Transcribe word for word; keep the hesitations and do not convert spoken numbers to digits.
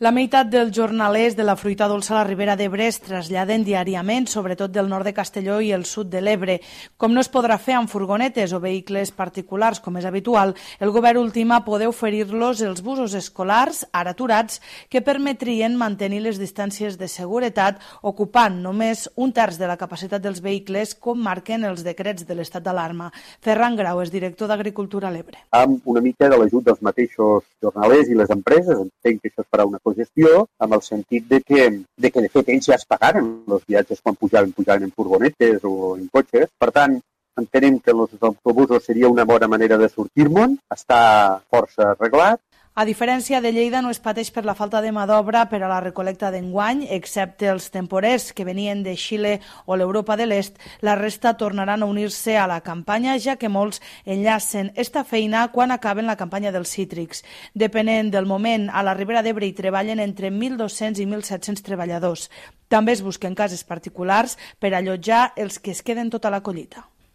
La meitat dels jornalers de la fruita dolça a la Ribera d'Ebre es traslladen diàriament, sobretot del nord de Castelló i el sud de l'Ebre. Com no es podrà fer amb furgonetes o vehicles particulars, com és habitual, el govern ultima poder oferir-los els busos escolars, ara aturats, que permetrien mantenir les distàncies de seguretat, ocupant només un terç de la capacitat dels vehicles, com marquen els decrets de l'estat d'alarma. Ferran Grau és director d'Agricultura a l'Ebre. Amb una mica de l'ajut dels mateixos jornalers i les empreses, entenc que això es farà una cogestió, amb el sentit de que, de que de fet ells ja es pagaren els viatges quan pujaven, pujaven en furgonetes o en cotxes. Per tant, entenem que els autobusos seria una bona manera de sortir-me'n, està força arreglat. A diferència de Lleida, no es pateix per la falta de mà d'obra per a la recolecta d'enguany, excepte els temporers que venien de Xile o l'Europa de l'Est. La resta tornaran a unir-se a la campanya, ja que molts enllacen esta feina quan acaben la campanya dels cítrics. Depenent del moment, a la Ribera d'Ebre hi treballen entre mil dos-cents i mil set-cents treballadors. També es busquen cases particulars per allotjar els que es queden tota la collita.